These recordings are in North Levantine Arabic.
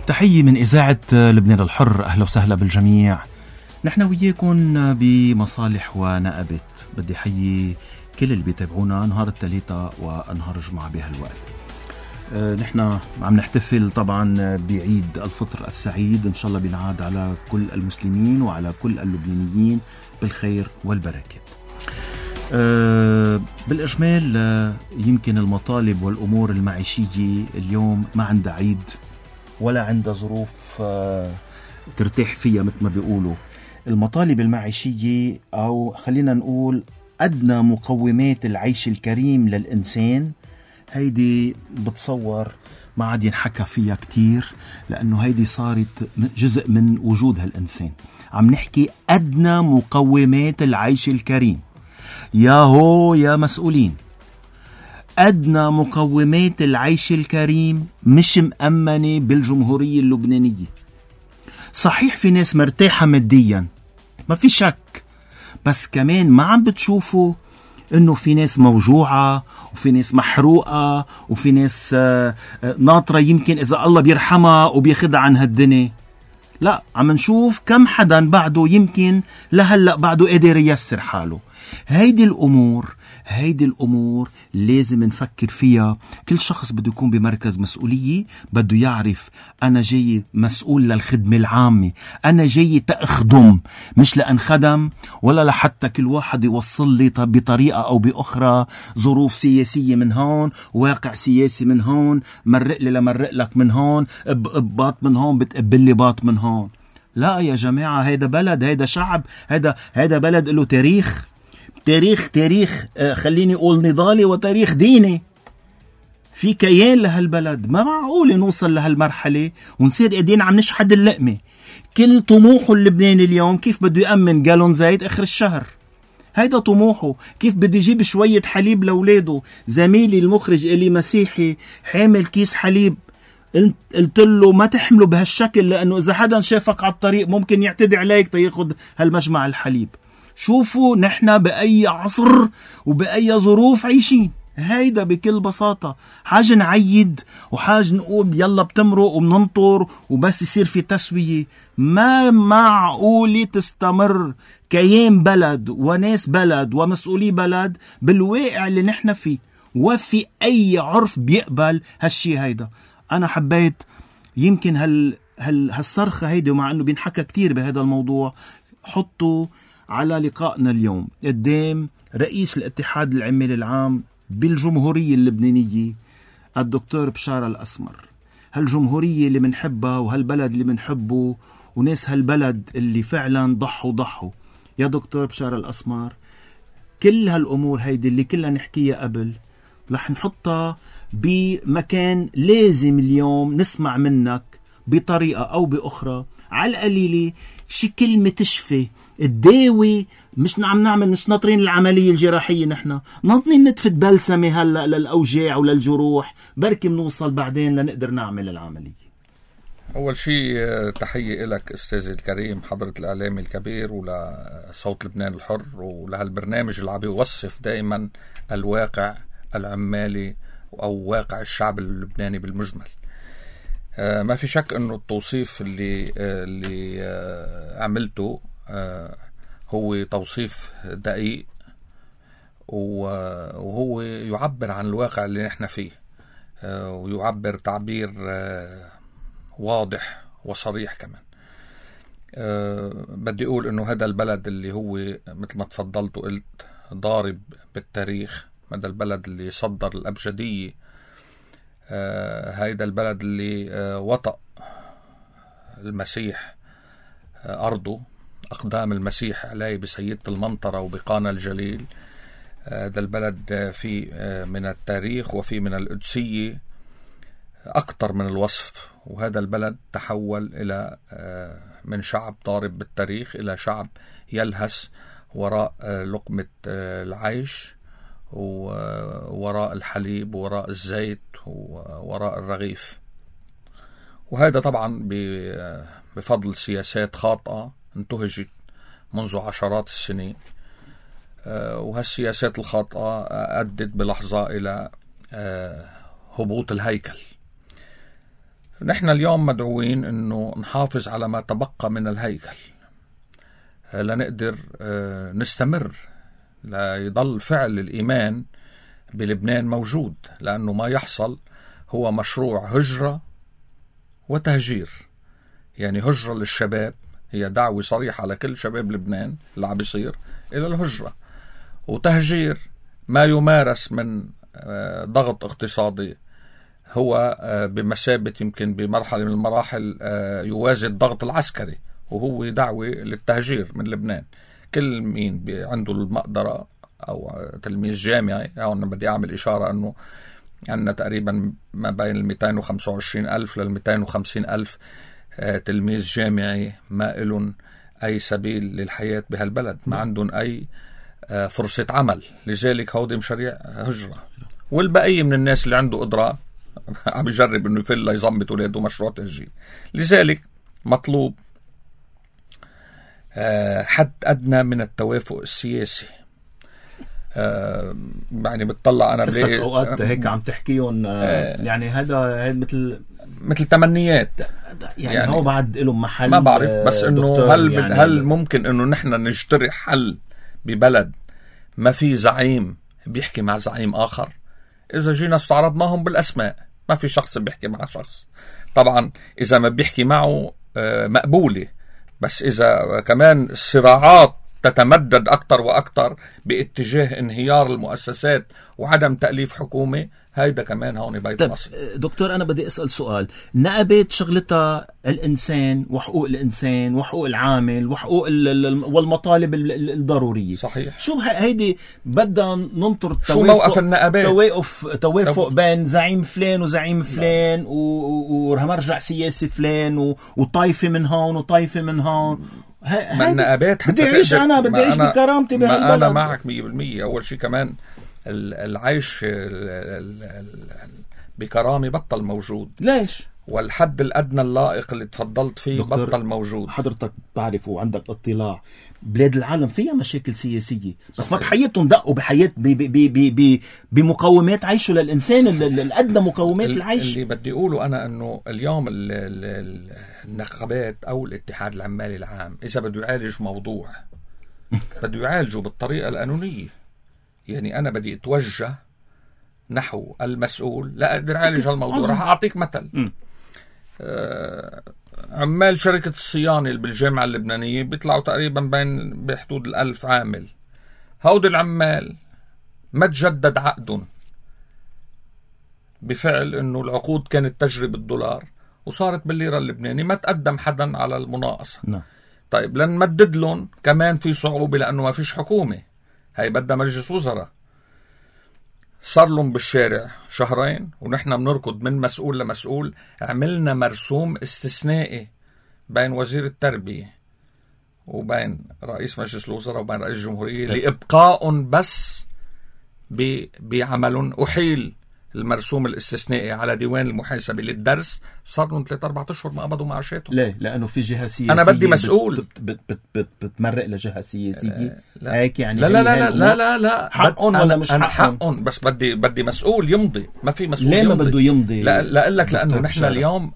تحية من إذاعة لبنان الحر. أهلا وسهلا بالجميع. نحن وياكم بمصالح ونقبت. بدي حيي كل اللي بيتابعونا نهار الثلاثاء ونهار الجمعة بهالوقت. نحن عم نحتفل طبعا بعيد الفطر السعيد، إن شاء الله بينعاد على كل المسلمين وعلى كل اللبنانيين بالخير والبركة. بالإجمال يمكن المطالب والأمور المعيشية اليوم ما عندها عيد ولا عندها ظروف ترتاح فيها. مثل ما بيقولوا المطالب المعيشية، أو خلينا نقول أدنى مقومات العيش الكريم للإنسان، هيدي بتصور ما عاد ينحكى فيها كتير، لأنه هيدي صارت جزء من وجود هالإنسان. عم نحكي أدنى مقومات العيش الكريم. يا مسؤولين، أدنى مقومات العيش الكريم مش مأمنة بالجمهورية اللبنانية. صحيح في ناس مرتاحة ماديا، ما في شك، بس كمان ما عم بتشوفوا إنه في ناس موجوعة وفي ناس محروقة وفي ناس ناطرة، يمكن إذا الله بيرحمها وبياخدها عن هالدنيا. لا، عم نشوف كم حدا بعده يمكن لهلأ بعده قادر ييسر حاله. هيدي الأمور لازم نفكر فيها. كل شخص بده يكون بمركز مسؤولية، بده يعرف أنا جاي مسؤول للخدمة العامة، أنا جاي تأخدم مش لأنخدم، ولا لحتى كل واحد يوصل لي بطريقة أو بأخرى ظروف سياسية من هون، واقع سياسي من هون، مرق لي لمرق لك من هون، باط من هون بتقبل لي باط من هون. لا يا جماعة، هيدا بلد، هيدا شعب، هيدا بلد له تاريخ خليني أقول نضالي وتاريخ ديني. في كيان لهالبلد. ما معقول نوصل لهالمرحلة ونصير قاعدين عم نشحد اللقمة. كل طموحه اللبناني اليوم كيف بده يأمن جالون زيت آخر الشهر. هيدا طموحه. كيف بده يجيب شوية حليب لأولاده. زميلي المخرج إلي مسيحي حامل كيس حليب، قلت له ما تحمله بهالشكل، لأنه إذا حدا شافك على الطريق ممكن يعتدي عليك تياخد هالمجمع الحليب. شوفوا نحن بأي عصر وبأي ظروف عايشين. هيدا بكل بساطة. حاج نعيد وحاج نقول يلا بتمرق وبننطر وبس يصير في تسوية. ما معقول تستمر كيان بلد وناس بلد ومسؤولي بلد بالواقع اللي نحن فيه، وفي أي عرف بيقبل هالشي. هيدا أنا حبيت يمكن هالصرخة هيدا، ومع أنه بينحكى كتير بهذا الموضوع، حطوا على لقائنا اليوم قدام رئيس الاتحاد العمال العام بالجمهورية اللبنانية الدكتور بشار الأسمر. هالجمهورية اللي منحبها وهالبلد اللي منحبه وناس هالبلد اللي فعلا ضحوا. يا دكتور بشار الأسمر، كل هالأمور هيدي اللي كلها نحكيها قبل رح نحطها بمكان لازم اليوم نسمع منك بطريقة أو بأخرى، على القليلة شي كلمة تشفي الداوي. مش ناطرين العملية الجراحية، نحن ناطرين نتفت بلسمة هلأ للأوجاع وللجروح، بركي منوصل بعدين لنقدر نعمل العملية. أول شيء تحية لك أستاذي الكريم، حضرة الإعلامي الكبير، ولصوت لبنان الحر، ولهالبرنامج اللي عم يوصف دائما الواقع العمالي أو واقع الشعب اللبناني بالمجمل. ما في شك أنه التوصيف اللي عملته هو توصيف دقيق، وهو يعبر عن الواقع اللي نحن فيه، ويعبر تعبير واضح وصريح كمان. بدي أقول أنه هذا البلد اللي هو مثل ما تفضلت وقلت ضارب بالتاريخ، هذا البلد اللي صدر الأبجدية، هذا البلد اللي وطأ المسيح أرضه، أقدام المسيح عليه بسيدة المنطرة وبقانا الجليل. هذا البلد فيه من التاريخ وفيه من القدسية أكتر من الوصف. وهذا البلد تحول إلى من شعب ضارب بالتاريخ إلى شعب يلهس وراء لقمة العيش، ووراء الحليب، وراء الزيت، ووراء الرغيف. وهذا طبعا بفضل سياسات خاطئة انتهجت منذ عشرات السنين، وهالسياسات الخاطئة أدت بلحظة إلى هبوط الهيكل. نحن اليوم مدعوين أنه نحافظ على ما تبقى من الهيكل لنقدر نستمر، ليضل فعل الإيمان بلبنان موجود، لأنه ما يحصل هو مشروع هجرة وتهجير. يعني هجرة للشباب، هي دعوة صريحة لكل شباب لبنان اللي عم بيصير إلى الهجرة، وتهجير ما يمارس من ضغط اقتصادي هو بمثابة يمكن بمرحلة من المراحل يوازي الضغط العسكري، وهو دعوة للتهجير من لبنان. كل مين عنده المقدرة أو تلميذ جامعي، أو أنا بدي أعمل إشارة أنه عندنا تقريبا ما بين 225,000 لل 250,000 تلميذ جامعي ما إلن أي سبيل للحياة بهالبلد، ما عندهم أي فرصة عمل، لذلك هودي مشاريع هجرة. والبقية من الناس اللي عنده قدرة عم يجرب انه يفل يزمت اولاده مشروع تهجير. لذلك مطلوب حد ادنى من التوافق السياسي. يعني بتطلع انا بلاقي اوقات هيك عم تحكيهم يعني هذا مثل تمنيات، يعني هو بعد لهم محل، ما بعرف، بس انه هل ممكن انه نحن نجترح حل ببلد ما في زعيم بيحكي مع زعيم آخر؟ إذا جينا استعرضناهم بالأسماء، ما في شخص بيحكي مع شخص. طبعا إذا ما بيحكي معه مقبولة، بس إذا كمان الصراعات تتمدد أكتر وأكتر باتجاه انهيار المؤسسات وعدم تأليف حكومة، هيدا كمان هون بيت مصر. دكتور أنا بدي أسأل سؤال. نقبت شغلتها الإنسان وحقوق الإنسان وحقوق العامل وحقوق والمطالب الضرورية. صحيح. شو هيدي بدنا ننطر شو موقف النقابات؟ توافق بين زعيم فلان وزعيم فلان ومرجع سياسي فلان وطائفة من هون وطائفة من هون. النقابات بدي أعيش، أنا بدي أعيش بكرامتي بهالبلد. أنا معك 100%. أول شيء كمان العيش بكرامة بطل موجود. ليش؟ والحد الأدنى اللائق اللي تفضلت فيه بطل موجود. حضرتك تعرف وعندك اطلاع، بلاد العالم فيها مشاكل سياسية، بس ما بحياتهم دقوا بحياة بمقومات عيشه للإنسان، الأدنى مقومات العيش. اللي بدي أقوله أنا أنه اليوم النقابات أو الاتحاد العمالي العام إذا بده يعالج موضوع بده يعالجه بالطريقة القانونية. يعني أنا بدي أتوجه نحو المسؤول لا أقدر أعالج هالموضوع. رح أعطيك مثل. عمال شركة الصيانة بالجامعة اللبنانية بيطلعوا تقريبا بحدود 1000 عامل. هود العمال ما تجدد عقدهم بفعل أنه العقود كانت تجري بالدولار وصارت بالليرة اللبنانية، ما تقدم حدا على المناقصة. طيب لنمدد لهم كمان في صعوبة لأنه ما فيش حكومة، هاي بدها مجلس وزراء. صار لهم بالشارع شهرين ونحن بنركض من مسؤول لمسؤول. عملنا مرسوم استثنائي بين وزير التربية وبين رئيس مجلس الوزراء وبين رئيس الجمهورية لإبقاء بس بعمل. أحيل المرسوم الاستثنائي على ديوان المحاسبة للدرس، صار لهم 3-4 أشهر ما قبضوا معاشاتهم. ليه؟ لأنه في جهة سياسية. أنا بدي مسؤول بتمرق لجهة سياسية. هيك يعني. لا حقهم ولا مش حقهم، بس بدي مسؤول يمضي. ما في مسؤول. ليه ما بده يمضي؟ لا أقول لك لأنه نحن اليوم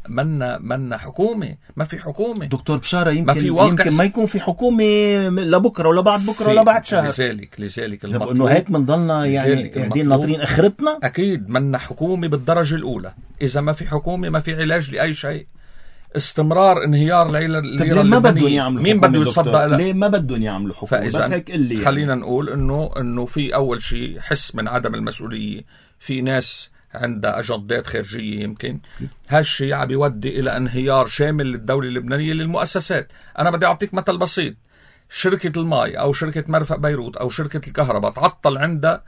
منا حكومة، ما في حكومة. دكتور بشارة يمكن ما يكون في حكومة لبكرة ولا بعد بكرة ولا بعد شهر. لذلك إنه هيك منضلنا يعني قاعدين ناطرين آخرتنا. أكيد منا حكومة بالدرجة الأولى. إذا ما في حكومة ما في علاج لأي شيء. استمرار انهيار الليرة اللبنانية. مين بده يتصدق لها؟ ليه ما بدهم يعملوا حكومة؟ بس هيك اللي خلينا يعني نقول إنه في أول شيء حس من عدم المسؤولية. في ناس عندها أجندات خارجية يمكن هالشيء عم يودي إلى انهيار شامل للدولة اللبنانية للمؤسسات. أنا بدي أعطيك مثل بسيط. شركة الماء أو شركة مرفأ بيروت أو شركة الكهرباء تعطل عندها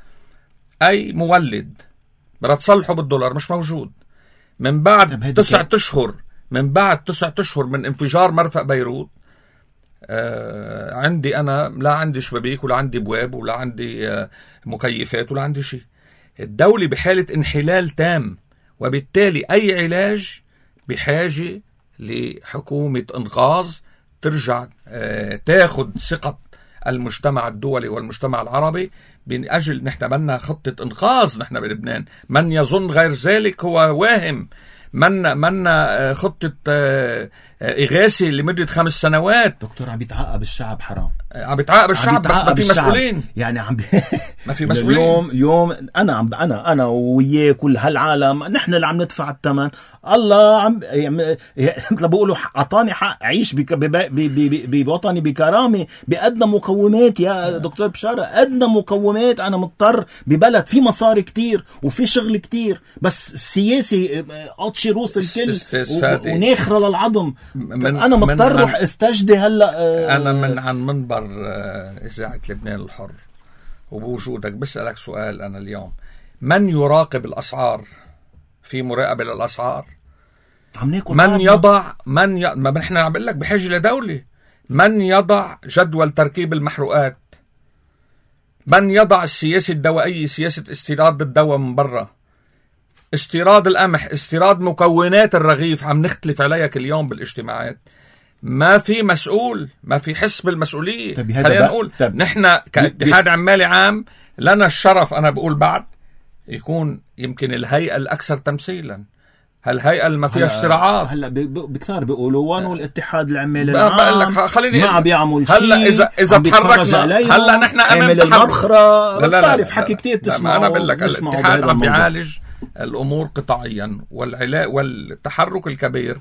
أي مولد بدها تصلحه بالدولار، مش موجود. من بعد 9 أشهر من بعد 9 أشهر من انفجار مرفأ بيروت عندي أنا لا عندي شبابيك ولا عندي بواب ولا عندي مكيفات ولا عندي شيء. الدولة بحالة انحلال تام، وبالتالي أي علاج بحاجة لحكومة إنقاذ ترجع تاخد ثقة المجتمع الدولي والمجتمع العربي من أجل نحن بدنا خطة إنقاذ. نحن بلبنان من يظن غير ذلك هو واهم. منا خطة إغاثة لمدة 5 سنوات. دكتور عم يتعاقب الشعب، حرام عم يتعاقب الشعب، بس ما في مسؤولين يعني ما في مسؤولين. اليوم أنا وياه كل هالعالم نحن اللي عم ندفع الثمن. الله عم مثل بقولوا أعطاني حق عيش بوطني بكرامة بأدنى مقومات. يا دكتور بشارة، أدنى مقومات. أنا مضطر ببلد في مصاري كتير وفي شغل كتير، بس السياسي أطشي روس الكل وناخرة للعظم. أنا مضطر روح استجدي هلأ. أنا من عن منبر إذاعة لبنان الحر وبوجودك بسألك سؤال أنا اليوم: من يراقب الأسعار؟ في مراقبة للأسعار؟ من يضع ما نحن عم بقول لك بحاجة لدولة. من يضع جدول تركيب المحروقات؟ من يضع السياسة الدوائية، سياسة استيراد الدواء من برا، استيراد القمح، استيراد مكونات الرغيف؟ عم نختلف عليها كل يوم بالاجتماعات. ما في مسؤول، ما في حس بالمسؤولية. خلينا نقول نحن كاتحاد عمالي عام لنا الشرف، أنا بقول بعد يكون يمكن الهيئة الأكثر تمثيلا، هالهيئة اللي ما فيها صراعات. هلا بكتار بيقولوا وانو الاتحاد العمالي العام ما عم بيعمل شيء. هلا إذا تحركنا هلا نحن أمام المبخرة. لا بتعرف حكي كتير تسمعه. أنا بقول لك الاتحاد عم بيعالج الأمور قطاعيا، والتحرك الكبير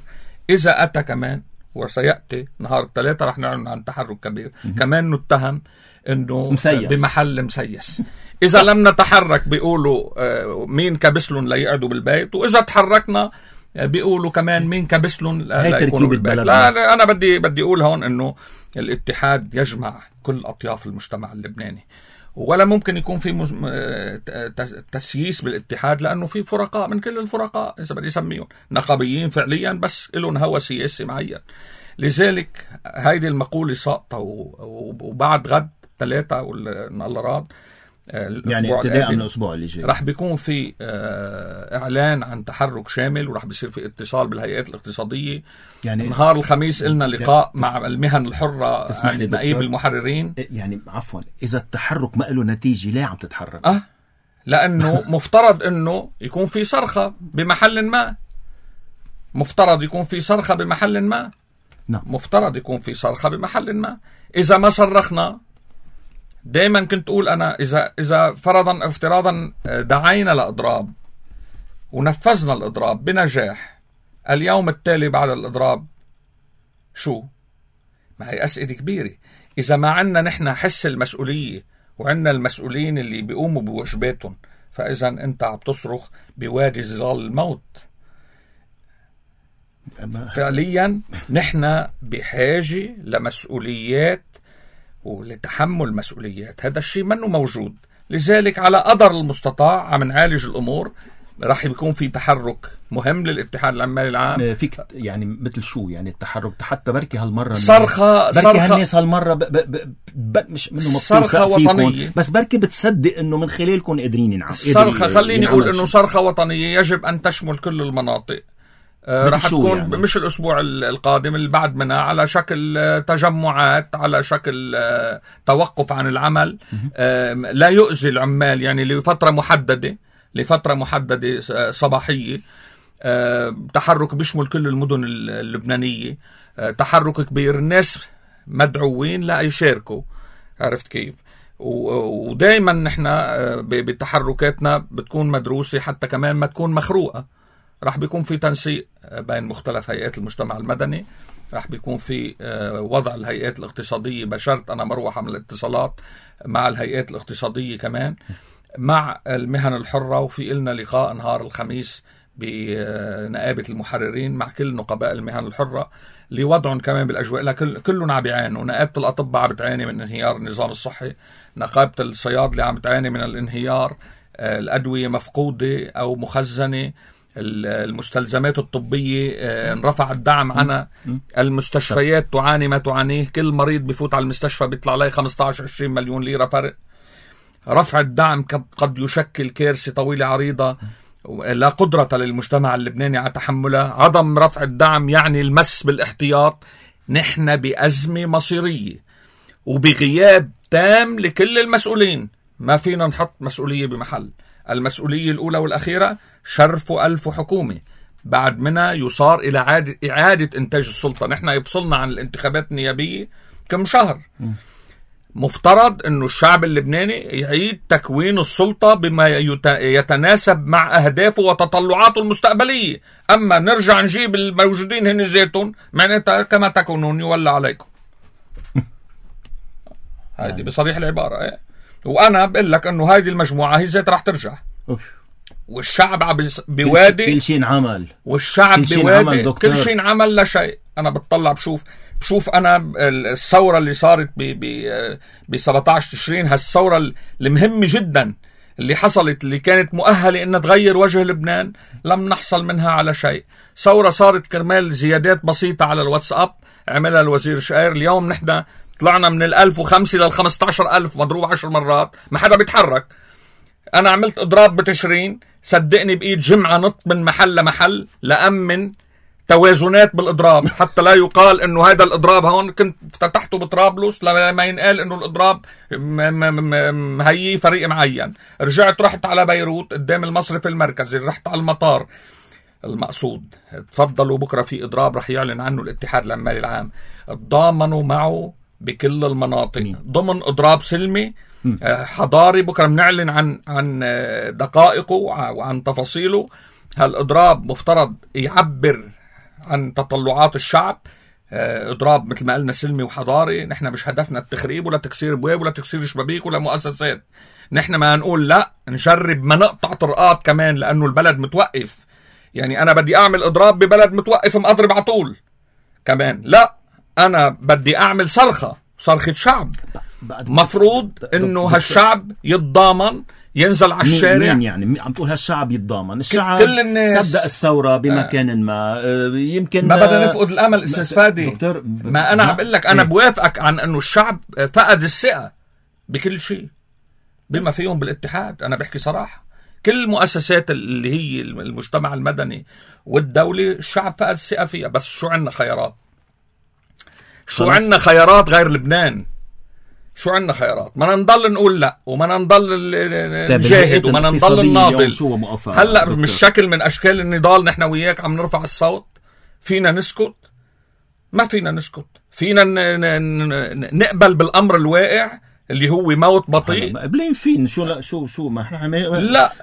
إذا أتى كمان، وسيأتي نهار الثلاثة رح نعلن عن تحرك كبير كمان نتهم إنه مسيس. بمحل مسيس. إذا لم نتحرك بيقولوا مين كبسلون ليقعدوا بالبيت، وإذا تحركنا بيقولوا كمان مين كبسلون ليكونوا بالبيت. لا أنا بدي أقول هون إنه الاتحاد يجمع كل أطياف المجتمع اللبناني، ولا ممكن يكون في تسييس بالاتحاد، لأنه في فرقاء من كل الفرقاء إذا بدي يسميهم نقابيين فعليا بس لهم هوى سياسي معين. لذلك هيدي المقولة ساقطة، وبعد غد 3 الله راد يعني ابتداء من الأسبوع اللي جاي رح بيكون في إعلان عن تحرك شامل، ورح بيصير في اتصال بالهيئات الاقتصادية. يعني نهار الخميس إلنا لقاء مع المهن الحرة عند نقيب المحررين. يعني عفوا، إذا التحرك ما له نتيجة ليه عم تتحرك؟ لأنه مفترض أنه يكون في صرخة بمحل ما. مفترض يكون في صرخة بمحل ما. مفترض يكون في صرخة بمحل ما. إذا ما صرخنا، دائما كنت أقول أنا إذا فرضا افتراضا دعينا لإضراب ونفذنا الإضراب بنجاح، اليوم التالي بعد الإضراب شو؟ ما هي أسئلة كبيرة. إذا ما عنا نحن حس المسؤولية وعنا المسؤولين اللي بيقوموا بواجباتهم، فإذا أنت عم تصرخ بوادي ظلال الموت. فعليا نحن بحاجة لمسؤوليات ولتحمل مسؤوليات. هذا الشيء منه موجود. لذلك على قدر المستطاع عم نعالج الأمور. راح يكون في تحرك مهم للاتحاد العمالي العام. فيك يعني مثل شو يعني التحرك حتى بركي هالمرة صرخة هالناس هالمرة مش منه صرخة وطنية، بس بركي بتصدق انه من خلالكم قادرين صرخة. خليني اقول انه صرخة وطنية يجب ان تشمل كل المناطق. راح تكون يعني مش الأسبوع القادم، اللي بعد منها، على شكل تجمعات، على شكل توقف عن العمل لا يؤذي العمال، يعني لفترة محددة صباحية. تحرك بيشمل كل المدن اللبنانية، تحرك كبير. الناس مدعوين لا يشاركوا، عرفت كيف؟ ودايما نحن بتحركاتنا بتكون مدروسة حتى كمان ما تكون مخروقة. راح بيكون في تنسيق بين مختلف هيئات المجتمع المدني، راح بيكون في وضع الهيئات الاقتصادية، بشرط أنا مروح من الاتصالات مع الهيئات الاقتصادية كمان مع المهن الحرة. وفي إلنا لقاء نهار الخميس بنقابة المحررين مع كل نقباء المهن الحرة لوضعهم كمان بالأجواء. لا كلهم عم بيعانوا. نقابة الأطباء عم بتعاني من انهيار النظام الصحي، نقابة الصيادلة عم بتعاني من الانهيار، الأدوية مفقودة أو مخزنة، المستلزمات الطبية انرفع الدعم عنها، المستشفيات تعاني ما تعانيه. كل مريض بفوت على المستشفى بيطلع عليه 15-20 مليون ليرة فرق. رفع الدعم قد يشكل كارثة طويلة عريضة لا قدرة للمجتمع اللبناني على تحملها. عدم رفع الدعم يعني المس بالاحتياط. نحن بأزمة مصيرية وبغياب تام لكل المسؤولين. ما فينا نحط مسؤولية بمحل. المسؤولية الأولى والأخيرة شرف ألف حكومة. بعد منها يصار إلى إعادة إنتاج السلطة. نحن يفصلنا عن الانتخابات النيابية كم شهر. مفترض أنه الشعب اللبناني يعيد تكوين السلطة بما يتناسب مع أهدافه وتطلعاته المستقبلية. أما نرجع نجيب الموجودين هن زيتون معناتها كما تكونون يولى عليكم. هذه بصريح العبارة. وأنا بقول لك أنه هذه المجموعة هي زيت راح ترجع. والشعب بوادي كل شيء انعمل، والشعب بوادي كل شيء انعمل لا شيء. أنا بتطلع بشوف أنا الثورة اللي صارت ب 17 تشرين، هالثورة المهمة جدا اللي حصلت اللي كانت مؤهلة إنها تغير وجه لبنان، لم نحصل منها على شيء. ثورة صارت كرمال زيادات بسيطة على الواتساب عملها الوزير شقير. اليوم نحن طلعنا من 1005 لل 15000 مضروب 10 مرات، ما حدا بيتحرك. أنا عملت إضراب بتشرين، صدقني بإيد جمعة نط من محل لمحل لأمن توازنات بالإضراب، حتى لا يقال إنه هذا الإضراب هون كنت فتحته بطرابلس، لما ينقال إنه الإضراب هي فريق معين. رحت على بيروت قدام المصرف المركزي، رحت على المطار. المقصود تفضلوا بكرة في إضراب رح يعلن عنه الاتحاد العمالي العام، تضامنوا معه بكل المناطق ضمن إضراب سلمي حضاري. بكرة بنعلن عن دقائقه وعن تفاصيله. هالإضراب مفترض يعبر عن تطلعات الشعب. إضراب مثل ما قلنا سلمي وحضاري. نحن مش هدفنا التخريب ولا تكسير بواب ولا تكسير شبابيك ولا مؤسسات. نحن ما نقول لا نجرب ما نقطع طرقات كمان لأنه البلد متوقف. يعني أنا بدي أعمل إضراب ببلد متوقف مقضرب على طول كمان لا، أنا بدي أعمل صرخة شعب. مفروض إنه هالشعب يتضامن ينزل على الشارع. مين يعني عم تقول هالشعب يتضامن؟ الشعب كل الناس صدق الثورة بمكان ما. يمكن ما بدنا نفقد الأمل أستاذ فادي. ما أنا عم بقول لك أنا بوافقك عن أنه الشعب فقد الثقة بكل شيء بما فيهم بالاتحاد. أنا بحكي صراحة كل المؤسسات اللي هي المجتمع المدني والدولي الشعب فقد الثقة فيها. بس شو عنا خيارات؟ شو عنا خيارات غير لبنان؟ شو عنا خيارات؟ ما نضل نقول لا وما نضل نجاهد وما نضل نناضل. هلأ مش شكل من أشكال النضال نحن وياك عم نرفع الصوت. فينا نسكت؟ ما فينا نسكت. فينا نقبل بالأمر الواقع اللي هو موت بطيء. قبلين فين شو ما احنا لا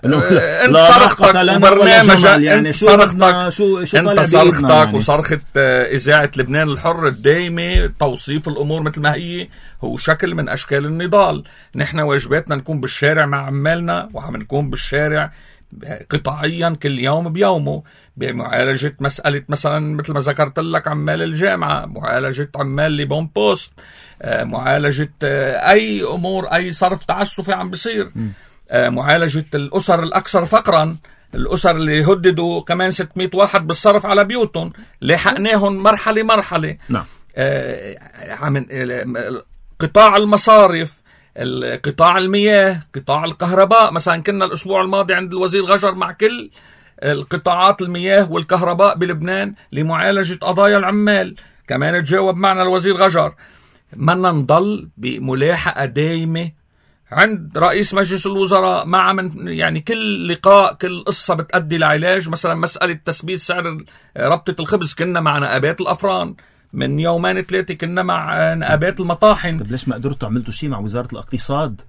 انت صرختك وبرنامجك يعني انت صرختك وصرخة إذاعة لبنان الحر الدائمة توصيف الأمور مثل ما هي هو شكل من أشكال النضال. نحن واجباتنا نكون بالشارع مع عمالنا وعم نكون بالشارع قطاعيا كل يوم بيومه بمعالجة مسألة مثلا مثل ما ذكرت لك عمال الجامعة، معالجة عمال لبون بوست، معالجة أي أمور أي صرف تعسفي عم بصير، معالجة الأسر الأكثر فقرا، الأسر اللي هددوا كمان 600 واحد بالصرف على بيوتهم لحقناهم مرحلة. نعم. قطاع المصارف، قطاع المياه، قطاع الكهرباء. مثلا كنا الأسبوع الماضي عند الوزير غجر مع كل القطاعات المياه والكهرباء بلبنان لمعالجة قضايا العمال. كمان تجاوب معنا الوزير غجر. ما نضل بملاحقة دائمة عند رئيس مجلس الوزراء مع من يعني كل لقاء كل قصة بتأدي لعلاج. مثلا مسألة تثبيت سعر ربطة الخبز كنا مع نقابات الأفران، من 2-3 كنا مع نقابات المطاحن. طب ليش ما قدرتوا عملتوا شيء مع وزارة الاقتصاد؟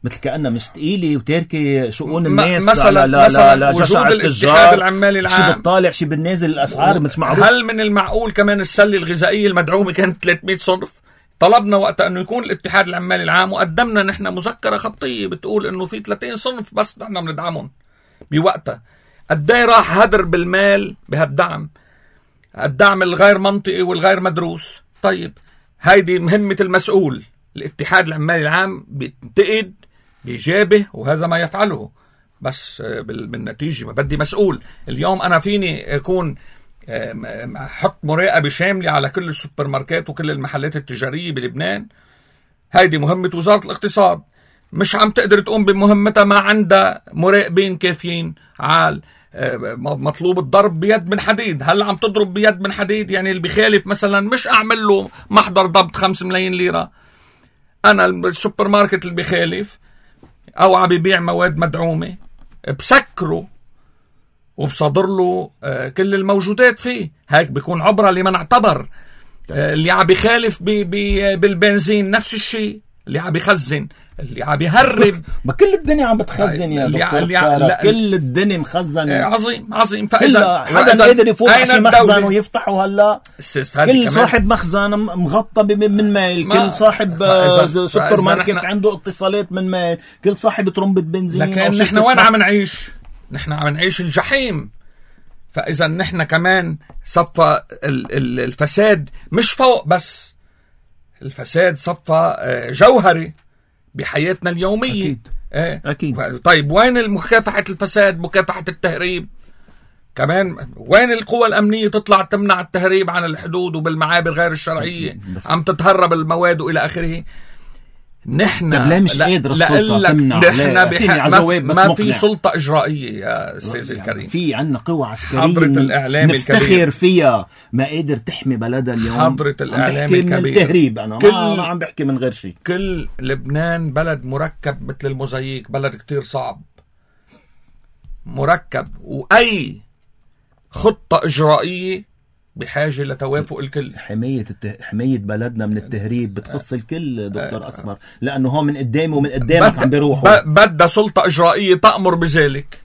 مثل كأنها مستقيلة وتاركة شؤون الناس مثلا وجود الاتحاد العمالي العام شي بالطالع شي بالنازل الأسعار مش معروف. هل من المعقول كمان السلة الغذائية المدعومة كانت 300 صنف؟ طلبنا وقت أنه يكون الاتحاد العمالي العام وقدمنا نحن مذكرة خطية بتقول أنه في 30 صنف بس نحن بندعمهم بوقتها. قديه راح هدر بالمال بهالدعم، الدعم الغير منطقي والغير مدروس. طيب هيدي مهمة المسؤول. الاتحاد العمالي العام بينتقد بيجابه وهذا ما يفعله، بس بالنتيجة ما بدي مسؤول. اليوم أنا فيني أكون حط مراقبة شاملة على كل السوبر ماركات وكل المحلات التجارية بلبنان. هيدي مهمة وزارة الاقتصاد. مش عم تقدر تقوم بمهمتها ما عندها مراقبين كافيين عال. مطلوب الضرب بيد من حديد. هل عم تضرب بيد من حديد؟ يعني اللي بيخالف مثلا مش أعمل له محضر ضبط 5 ملايين ليرة. أنا السوبر ماركت اللي بيخالف أو عم بيبيع مواد مدعومة بسكره وبصادر له كل الموجودات فيه. هيك بيكون عبرة لمن اعتبر. اللي عم بيخالف بالبنزين نفس الشيء، اللي عم بيخزن، اللي عم بيهرب. ما كل الدنيا عم بتخزن يا دكتور. كل الدنيا مخزنة. عظيم. فإذا حدا قادر يفوت شي مخزن ويفتحه هلا. كل صاحب مخزن مغطى من ميل، كل صاحب سوبر ماركت عنده اتصالات من ميل، كل صاحب ترمبة بنزين. لكن نحن وين عم نعيش؟ نحن عم نعيش الجحيم. فإذا نحن كمان صفى الفساد مش فوق بس، الفساد صفى جوهري بحياتنا اليومية. أكيد. طيب وين مكافحة الفساد، مكافحة التهريب كمان؟ وين القوى الأمنية تطلع تمنع التهريب عن الحدود وبالمعابر غير الشرعية عم تتهرب المواد وإلى آخره؟ نحن مش قادر السلطة تمنع. ما في سلطة إجرائية يا أستاذ الكريم. في عنا قوة عسكرية حضرة الإعلام نفتخر فيها، ما قادر تحمي بلدها اليوم. حضرة الإعلام الكبير. من التهريب أنا ما عم بحكي من غير شيء. كل لبنان بلد مركب مثل الموزاييك، بلد كتير صعب مركب، وأي خطة إجرائية بحاجة لتوافق الكل. حماية بلدنا من التهريب بتخص الكل دكتور أسمر، لأنه هو من قدامي ومن قدامك عم بيروحوا. بدها سلطة إجرائية تأمر بذلك.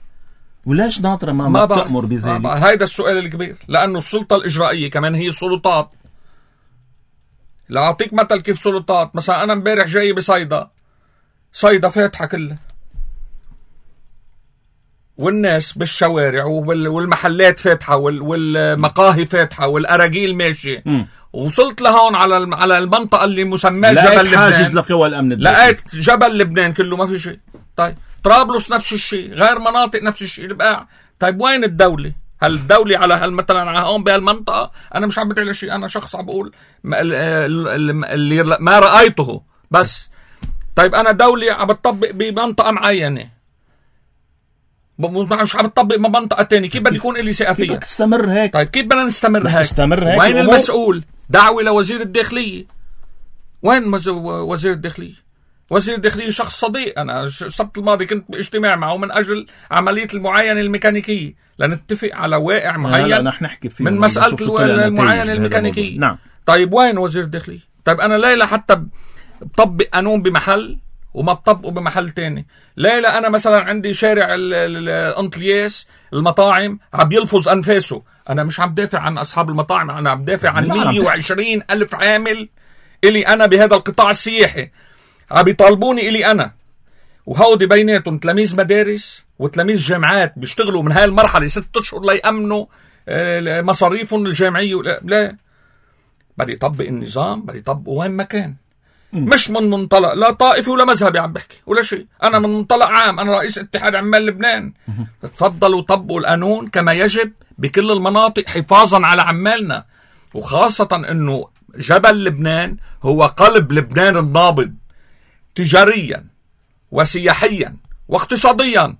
ولاش ناطرة ما بتأمر بذلك؟ هيدا السؤال الكبير، لأنه السلطة الإجرائية كمان هي سلطات. لأعطيك مثل كيف سلطات. مثلا أنا مبارح جاي صيدا فاتحة كلها، والناس بالشوارع والمحلات فاتحة والمقاهي فاتحة والأراجيل ماشي. وصلت لهون على المنطقة اللي مسمى جبل لبنان. حاجز لقوى الأمن لقيت جبل لبنان كله ما في شيء. طيب طرابلس نفس الشيء، غير مناطق نفس الشيء. البقاع طيب وين الدولة؟ هل الدولة على مثلا على هون بهالمنطقة؟ أنا مش عم بدعي لشيء، أنا شخص عم بقول اللي ما رأيته بس. طيب أنا دولة عم بتطبق بمنطقة معينة، مش عم تطبق بمنطقة تانية، كيف بدي يكون إلي ثقة فيها؟ كيف تستمر هيك؟ طيب كيف بدنا نستمر هيك؟ وين المسؤول؟ دعوة لوزير الداخلية. وين وزير الداخلية؟ وزير الداخلية شخص صديق. أنا السبت الماضي كنت باجتماع معه من أجل عملية المعاينة الميكانيكية لنتفق على واقع معين من مسألة المعاينة الميكانيكية. نعم. طيب وين وزير الداخلية؟ طيب أنا ليلة حتى بطبق قانون بمحل وما بطبقه بمحل تاني. ليلة أنا مثلا عندي شارع الأنطلياس المطاعم عم يلفظ أنفاسه. أنا مش عم دافع عن أصحاب المطاعم، أنا عم دافع عن 120 ألف عامل إلي أنا بهذا القطاع السياحي عم يطالبوني إلي أنا، وهودي بيناتهم تلاميذ مدارس وتلاميذ جامعات بيشتغلوا من هاي المرحلة 6 أشهر ليأمنوا مصاريفهم الجامعية. لا بدي يطبق النظام، بدي يطبقه وين ما كان. مش من منطلق لا طائفي ولا مذهبي عم بحكي ولا شيء، أنا من منطلق عام، أنا رئيس اتحاد عمال لبنان. تفضلوا طبقوا القانون كما يجب بكل المناطق حفاظا على عمالنا، وخاصة أنه جبل لبنان هو قلب لبنان النابض تجاريا وسياحيا واقتصاديا.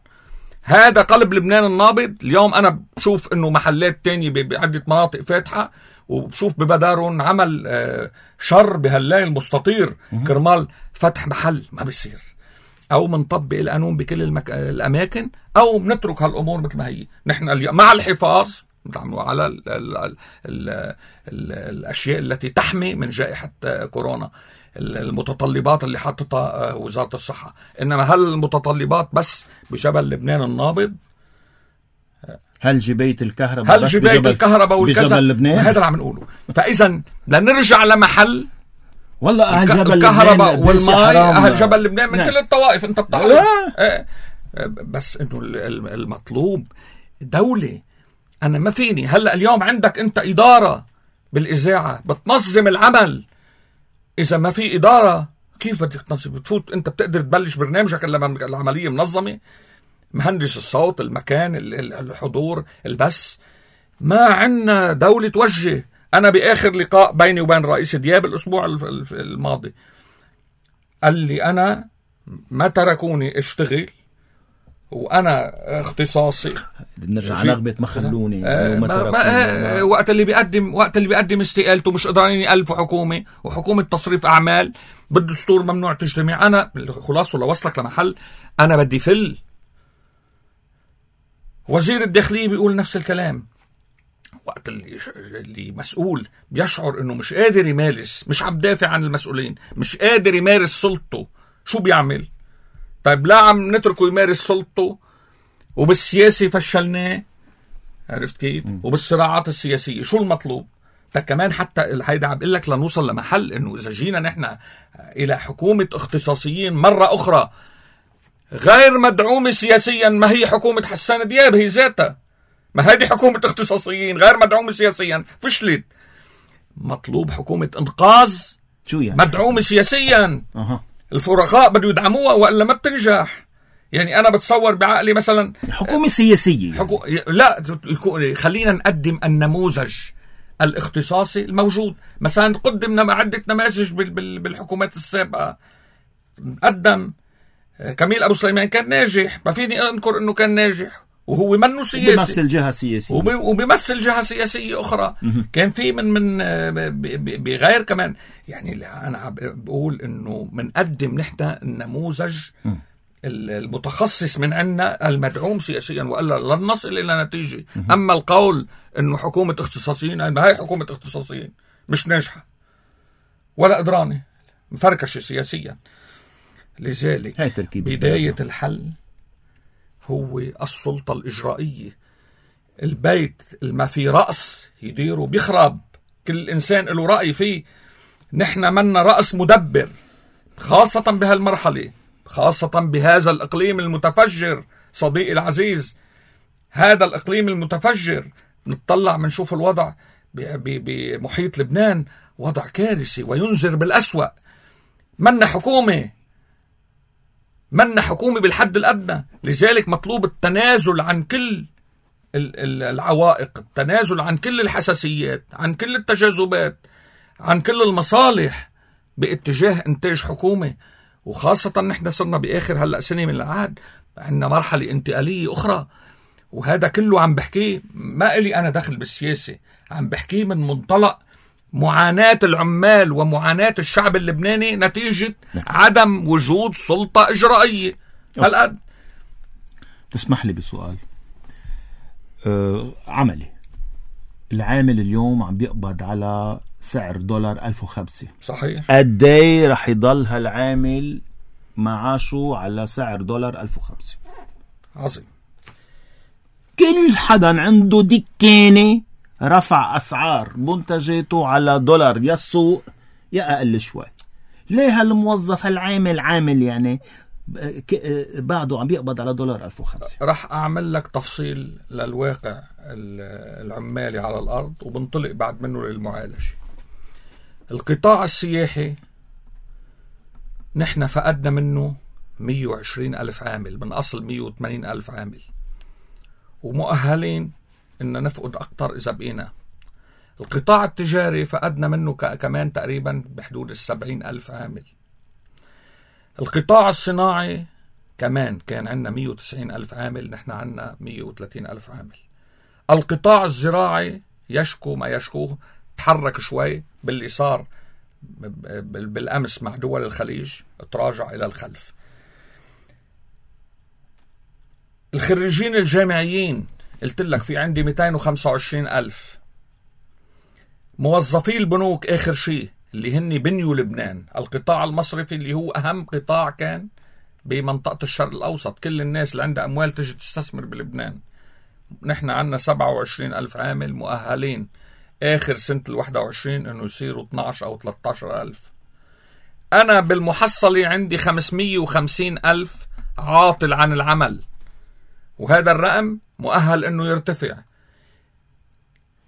هذا قلب لبنان النابض. اليوم أنا بشوف أنه محلات تانية بعدة مناطق فاتحة، وبشوف ببدارهم عمل شر بهاللاي المستطير كرمال فتح محل. ما بيصير. أو منطبق القانون بكل الأماكن، أو بنترك هالأمور مثل ما هي. نحن اليوم مع الحفاظ على الأشياء التي تحمي من جائحة كورونا، المتطلبات اللي حطتها وزارة الصحة. إنما هل المتطلبات بس بجبل لبنان النابض؟ هل جباية الكهرباء هل جباية الكهرباء والكذا؟ هذا اللي عم نقوله. فإذا لنرجع لمحل والله أهل جبل الكهرباء والماء، أهل جبل لبنان من كل الطوائف. أنت بتعرف بس إنه المطلوب دولة. أنا ما فيني هلأ اليوم عندك أنت إدارة بالإذاعة بتنظم العمل. إذا ما في إدارة كيف بدك تنظم؟ بتفوت أنت بتقدر تبلش برنامجك لما العملية منظمة، مهندس الصوت، المكان، الحضور، البث. ما عنا دولة توجه. أنا بآخر لقاء بيني وبين رئيس دياب الأسبوع الماضي قال لي أنا ما تركوني اشتغل وأنا اختصاصي. نرجع نغبة ما خلوني. وقت اللي بيقدم استقالته مش قدرانين يألفوا حكومة وحكومة تصريف أعمال بالدستور ممنوع تجتمع. أنا خلاص لو وصلك لمحل أنا بدي فل. وزير الداخلية بيقول نفس الكلام. وقت اللي مسؤول بيشعر انه مش قادر يمارس، مش عم دافع عن المسؤولين، مش قادر يمارس سلطته، شو بيعمل؟ طيب لا عم نتركه يمارس سلطته وبالسياسي فشلناه، عرفت كيف؟ وبالصراعات السياسية شو المطلوب؟ كمان حتى هيدا عم بقول لك لنوصل لمحل انه اذا جينا نحن الى حكومة اختصاصيين مرة اخرى غير مدعومة سياسيا، ما هي حكومة حسان دياب هي ذاتها، ما هذه حكومة اختصاصيين غير مدعومة سياسيا فشلت. مطلوب حكومة انقاذ شو يعني؟ مدعومة سياسيا. الفرقاء بده يدعموها والا ما بتنجح. يعني انا بتصور بعقلي مثلا حكومة سياسية لا خلينا نقدم النموذج الاختصاصي الموجود. مثلا قدمنا عدة نماذج بالحكومات السابقة. قدم كميل أبو سليمان كان ناجح، ما فيني أنكر أنه كان ناجح وهو منه سياسي، بيمثل جهة سياسية وبيمثل جهة سياسية أخرى. كان في من بغير كمان. يعني أنا بقول أنه منقدم نحن النموذج المتخصص من عنا المدعوم سياسيا، وإلا لن نصل إلى نتيجة. أما القول أنه حكومة اختصاصيين، هاي حكومة اختصاصيين مش ناجحة ولا قدرانة، مفركشة سياسيا. لذلك بداية الحل هو السلطة الإجرائية. البيت ما في رأس يديره بيخرب، كل إنسان له رأي فيه. نحن منا رأس مدبر، خاصة بهالمرحلة، خاصة بهذا الإقليم المتفجر. صديقي العزيز، هذا الإقليم المتفجر نتطلع منشوف الوضع بمحيط لبنان وضع كارثي وينذر بالأسوأ. منا حكومة بالحد الأدنى. لذلك مطلوب التنازل عن كل العوائق، التنازل عن كل الحساسيات، عن كل التجاذبات، عن كل المصالح باتجاه إنتاج حكومة. وخاصة نحن صرنا بآخر هلأ سنة من العهد، عندنا مرحلة انتقالية أخرى. وهذا كله عم بحكيه، ما إلي أنا دخل بالسياسة، عم بحكيه من منطلق معاناة العمال ومعاناة الشعب اللبناني نتيجة عدم وجود سلطة إجرائية. هالقد. تسمح لي بسؤال عملي. العامل اليوم عم بيقبض على سعر دولار 1005. صحيح. قدي رح يضل هالعامل معاشه على سعر دولار 1005؟ عظيم. كل حدا عنده دكانة رفع أسعار منتجاته على دولار، يا السوق يا أقل شوي. ليه هالموظف هالعامل عامل يعني بعده عم بيقبض على دولار 1005؟ رح أعمل لك تفصيل للواقع العمالي على الأرض وبنطلق بعد منه للمعالجة. القطاع السياحي نحن فقدنا منه 120,000 عامل من أصل 180,000 عامل، ومؤهلين إن نفقد أكتر إذا بقينا. القطاع التجاري فقدنا منه كمان تقريبا بحدود 70,000 عامل. القطاع الصناعي كمان كان عندنا 190,000 عامل، نحن عندنا 130,000 عامل. القطاع الزراعي يشكو ما يشكوه، تحرك شوي باللي صار بالأمس مع دول الخليج، تراجع إلى الخلف. الخريجين الجامعيين قلت لك في عندي 225,000. موظفي البنوك آخر شيء اللي هن بنيوا لبنان، القطاع المصرفي اللي هو أهم قطاع كان بمنطقة الشرق الأوسط، كل الناس اللي عندها أموال تجي تستثمر بلبنان. نحن عندنا 27,000 عامل مؤهلين آخر سنة 21 إنه يصيروا 12 أو 13,000. أنا بالمحصلة عندي 550,000 عاطل عن العمل، وهذا الرقم مؤهل إنه يرتفع.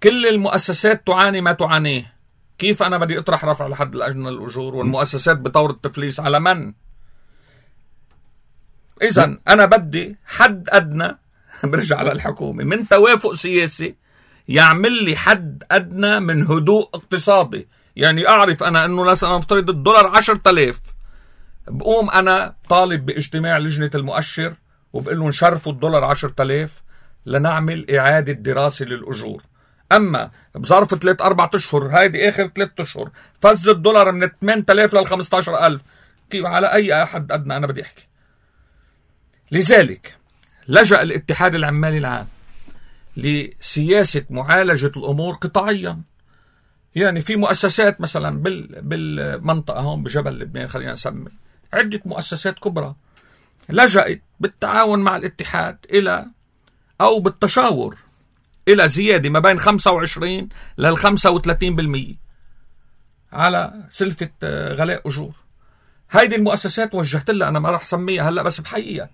كل المؤسسات تعاني ما تعانيه. كيف أنا بدي أطرح رفع لحد الأجنة الأجور والمؤسسات بطور التفليس على من؟ إذن أنا بدي حد أدنى برجع على الحكومة من توافق سياسي يعمل لي حد أدنى من هدوء اقتصادي. يعني أعرف أنا أنه لسنا نفترض الدولار 10,000، بقوم أنا طالب باجتماع لجنة المؤشر وبقول له نشرفوا الدولار 10,000 لنعمل إعادة دراسة للأجور. أما بظرف 3-4 أشهر، هيدي آخر 3 أشهر، فز الدولار من 8,000 لل 15,000. كيف على أي حد أدنى أنا بدي أحكي؟ لذلك لجأ الاتحاد العمالي العام لسياسة معالجة الأمور قطاعيا. يعني في مؤسسات مثلا بالمنطقة هون بجبل لبنان، خلينا نسمي عدة مؤسسات كبرى لجأت بالتعاون مع الاتحاد إلى أو بالتشاور إلى زيادة ما بين 25 لل 35% على سلفة غلاء أجور. هيدي المؤسسات وجهت لها، أنا ما راح سميها هلأ بس بحقيقة،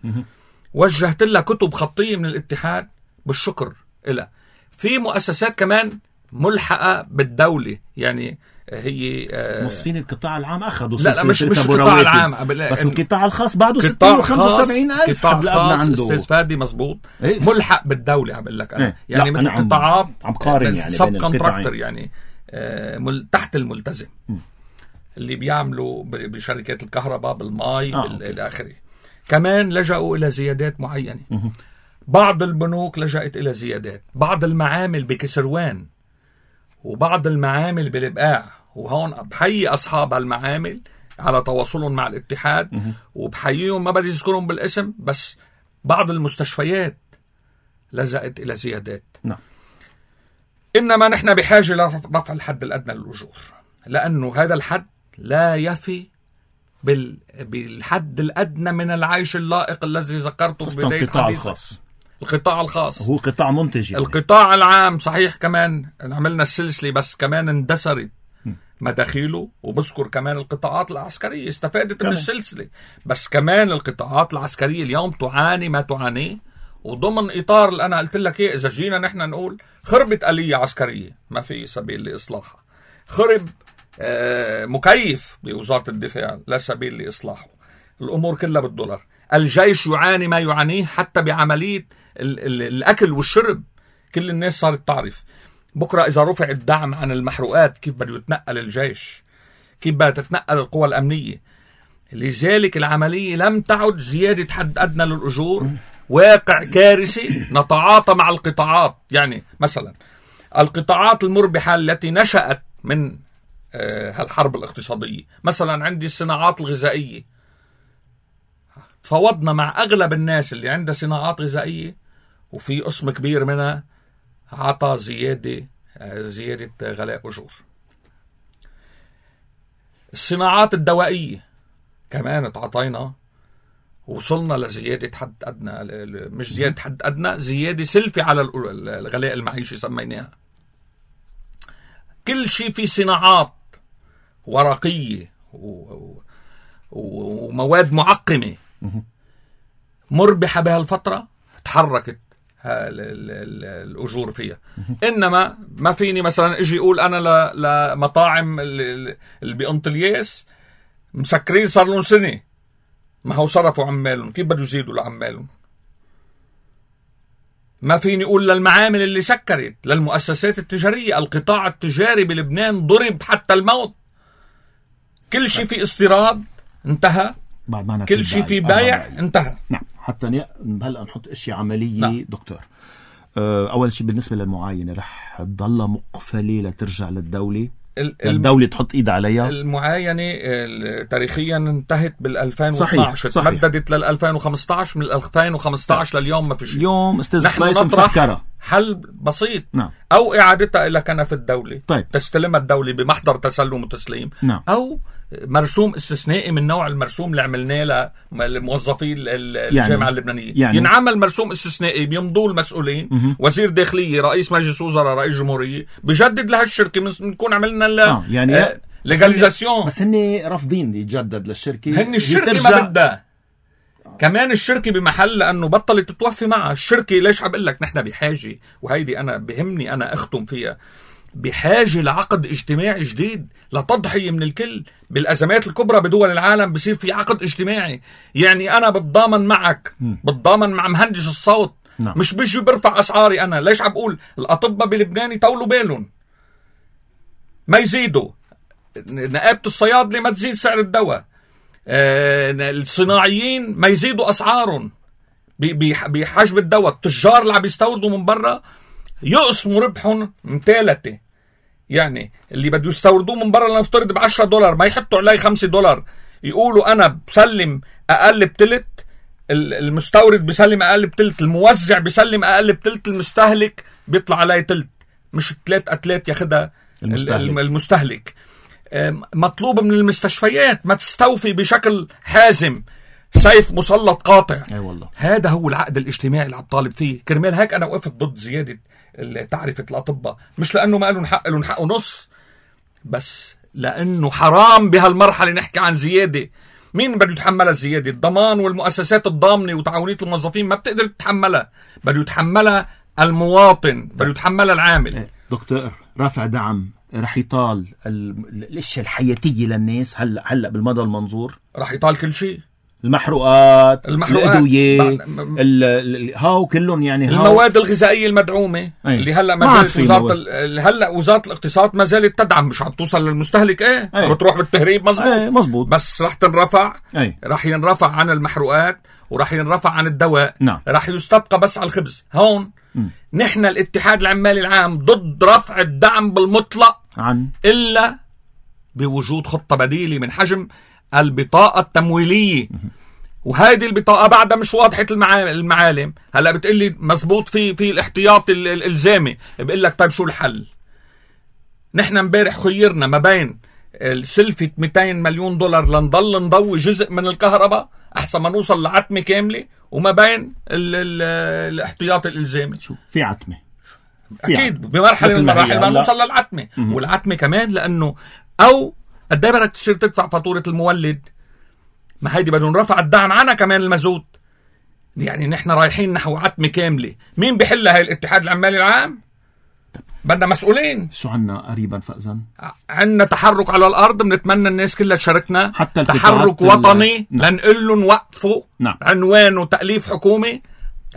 وجهت لها كتب خطية من الاتحاد بالشكر إلها. في مؤسسات كمان ملحقة بالدولة، يعني هي موظفين القطاع العام أخذوا لا مش القطاع العام بس القطاع الخاص بعده 75,000 قطاع خاص استاذ فادي مزبوط. إيه؟ ملحق بالدولة عم بقول لك أنا. يعني مثل قطاعات عم قارن يعني سب كونتراكتور، يعني تحت الملتزم اللي بيعملوا بشركات الكهرباء بالماء إلى آخره. كمان لجأوا إلى زيادات معينة. بعض البنوك لجأت إلى زيادات، بعض المعامل بكسروان وبعض المعامل بالبقاع، وهون بحيي أصحاب المعامل على تواصلهم مع الاتحاد وبحييهم، ما بدي أذكرهم بالاسم، بس بعض المستشفيات لجأت إلى زيادات. نعم. إنما نحن بحاجة لرفع الحد الأدنى للأجور، لأنه هذا الحد لا يفي بالحد الأدنى من العيش اللائق الذي ذكرته بداية الحديث. القطاع الخاص هو قطاع منتج يعني. القطاع العام صحيح كمان عملنا السلسلة، بس كمان اندثرت مداخيله، وبذكر كمان القطاعات العسكرية استفادت من السلسلة، بس كمان القطاعات العسكرية اليوم تعاني ما تعانيه، وضمن إطار اللي أنا قلت لك إيه، إذا جينا نحن نقول خربت آلية عسكرية ما في سبيل لإصلاحها، خرب مكيف بوزارة الدفاع لا سبيل لإصلاحه، الأمور كلها بالدولار، الجيش يعاني ما يعانيه حتى بعملية الأكل والشرب، كل الناس صارت تعرف بكرة إذا رفع الدعم عن المحروقات كيف بده يتنقل الجيش، كيف بدها تتنقل القوى الأمنية. لذلك العملية لم تعد زيادة حد أدنى للأجور، واقع كارثي نتعاطى مع القطاعات. يعني مثلا القطاعات المربحة التي نشأت من هالحرب الاقتصادية، مثلا عندي الصناعات الغذائية، تفاوضنا مع أغلب الناس اللي عندها صناعات غذائية وفي قسم كبير منها عطى زيادة غلاء أجور. الصناعات الدوائية كمان تعطينا، وصلنا لزيادة حد أدنى، مش زيادة حد أدنى، زيادة سلفة على الغلاء المعيشي سميناها. كل شيء في صناعات ورقية ومواد معقمة مربحة بهالفترة تحركت الأجور فيها. إنما ما فيني مثلا اجي اقول انا لمطاعم اللي بأنطلياس مسكرين صار لهم سنة، ما هو صرفوا عمالهم، كيف بدوا يزيدوا لعمالهم؟ ما فيني اقول للمعامل اللي سكرت، للمؤسسات التجارية، القطاع التجاري بلبنان ضرب حتى الموت، كل شيء في استيراد انتهى، كل شيء في بايع انتهى. نعم. حتى هلأ نحط اشياء عملية. نعم. دكتور، اول شيء بالنسبة للمعاينة رح تضلها مقفلة لترجع للدولة؟ الدولة تحط ايد عليها؟ المعاينة تاريخيا انتهت بال2012، تمددت لل2015، من 2015 لليوم ما في شيء. اليوم نحن نطرح حل بسيط. نعم. او اعادتها الى كنف الدولة. طيب. تستلمها الدولة بمحضر تسلم وتسليم. نعم. او مرسوم استثنائي من نوع المرسوم اللي عملناه للموظفين الجامعة اللبنانية. ينعمل مرسوم استثنائي بيمضوا المسؤولين، وزير داخلية، رئيس مجلس وزراء، رئيس جمهورية، بجدد لهالشركة، بنكون عملنا يعني ليغاليزاسيون. بس هن رافضين يتجدد للشركة، هن الشركة ما بدها. كمان الشركة بمحل، لأنه بطلت تتوفي معها الشركة. ليش عم بقول لك نحن بحاجة، وهيدي أنا بهمني أنا أختم فيها، بحاجة لعقد اجتماعي جديد لتضحية من الكل. بالأزمات الكبرى بدول العالم بصير في عقد اجتماعي، يعني أنا بتضامن معك، بتضامن مع مهندس الصوت. نعم. مش بيجي برفع أسعاري أنا. ليش عم بقول الأطباء بلبنان يطولوا بالهم ما يزيدوا، نقابة الصيادلة ما تزيد سعر الدواء، الصناعيين ما يزيدوا أسعارهم بحجب الدواء، التجار اللي عم يستوردوا من برا يقسموا ربحهم من ثلاثة. يعني اللي بده يستوردوه من برا لنفترض $10 ما يحطوا عليه $5، يقولوا أنا بسلم أقل بتلت، المستورد بيسلم أقل بتلت، الموزع بيسلم أقل بتلت، المستهلك بيطلع عليه تلت، مش 3 أتلات ياخدها المستهلك. مطلوب من المستشفيات ما تستوفي بشكل حازم، سيف مسلط قاطع. والله. هذا هو العقد الاجتماعي اللي عم طالب فيه. كرمال هيك أنا وقفت ضد زيادة تعرفة الأطباء، مش لأنه ما لهم حق، لهم حق ونص، بس لأنه حرام بهالمرحلة نحكي عن زيادة. مين بده يتحملها الزيادة؟ الضمان والمؤسسات الضامنة وتعاونية الموظفين ما بتقدر تتحملها، بده يتحملها المواطن، بده يتحملها العامل. دكتور، رفع دعم رح يطال الاشياء الحياتية للناس هلأ بالمدى المنظور، رح يطال كل شيء، المحروقات الأدوية هاو كلهم، يعني المواد الغذائية المدعومة اللي هلأ ما زالت هلأ وزارة الاقتصاد ما زالت تدعم، مش عم توصل للمستهلك. بتروح بالتهريب. مزبوط. بس رح تنرفع. رح ينرفع عن المحروقات ورح ينرفع عن الدواء. نعم. رح يستبقى بس على الخبز. هون نحن الاتحاد العمالي العام ضد رفع الدعم بالمطلق إلا بوجود خطة بديلة من حجم البطاقة التمويلية. وهذه البطاقة بعدها مش واضحة المعالم. هلأ بتقلي مزبوط في الاحتياط الإلزامي، بقول لك طيب شو الحل؟ نحن امبارح خيرنا ما بين سلفة 200 مليون دولار لنضل نضوي جزء من الكهرباء أحسن ما نوصل لعتمة كاملة، وما بين الاحتياط الإلزامي. شو في عتمة؟ أكيد بمرحلة من المراحل ما نوصل للعتمة. والعتمة كمان لأنه أو قد ايه بدك تصير تدفع فاتورة المولد؟ ما هيدي بدهم رفع الدعم عنها كمان المازوت. يعني نحن رايحين نحو عتمة كاملة. مين بيحلها؟ هاي الاتحاد العمالي العام؟ بدنا مسؤولين. شو عنا قريبا فأذن؟ عنا تحرك على الأرض، بنتمنى الناس كلها تشاركنا. حتى تحرك وطني لنقول لهم وقفوا. عنوانه تأليف حكومي،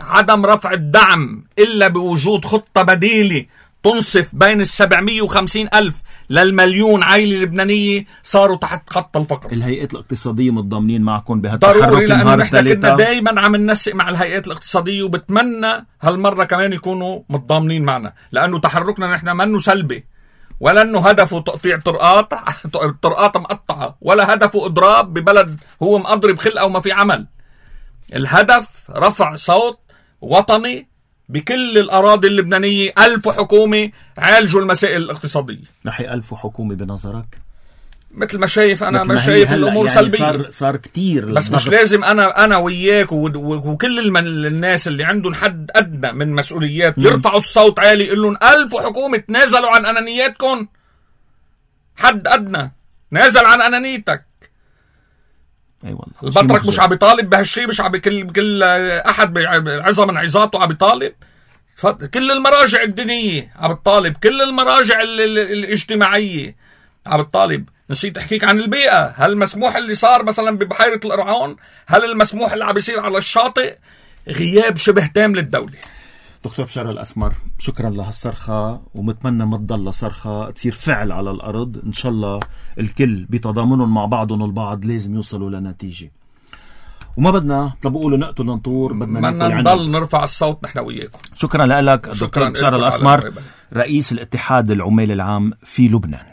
عدم رفع الدعم إلا بوجود خطة بديلة تنصف بين 750,000 للمليون عائلة لبنانية صاروا تحت خط الفقر. الهيئات الاقتصادية متضامنين معكم بهالتحرك؟ ضروري، لأنه نحن كنا دايما عم ننسق مع الهيئات الاقتصادية، وبتمنى هالمرة كمان يكونوا متضامنين معنا، لأنه تحركنا نحن منه سلبي، ولا أنه هدفه تقطيع طرقات مقطعة، ولا هدفه إضراب ببلد هو مقضرب خلقه وما في عمل. الهدف رفع صوت وطني بكل الأراضي اللبنانية. 1000 حكومة عالجوا المسائل الاقتصادية. نحي 1000 حكومة بنظرك؟ مثل ما شايف أنا، ما شايف الأمور يعني سلبية. صار كتير، بس مش لازم أنا وياك وكل الناس اللي عندهم حد أدنى من مسؤوليات يرفعوا الصوت عالي، يقول لهم 1000 حكومة تنازلوا عن أنانياتكم. حد أدنى نازل عن أنانيتك. والله البطرك مش عم يطالب بهالشيء، مش عم كل أحد بعظة من عظاته عم يطالب. كل المراجع الدينية عم تطالب، كل المراجع الاجتماعية عم تطالب. نسيت احكيك عن البيئة. هل مسموح اللي صار مثلا ببحيرة القرعون؟ هل المسموح اللي عم يصير على الشاطئ؟ غياب شبه تام للدولة. دكتور بشار الأسمر، شكرا لهالصرخة، ومتمنى ما تضل صرخة، تصير فعل على الأرض. إن شاء الله الكل بتضامنهم مع بعضهم البعض لازم يوصلوا لنتيجة، وما بدنا بقولوا نقتل ننطور، بدنا نضل نرفع الصوت نحن وياكم. شكرا لك دكتور بشار الأسمر، رئيس الاتحاد العمالي العام في لبنان.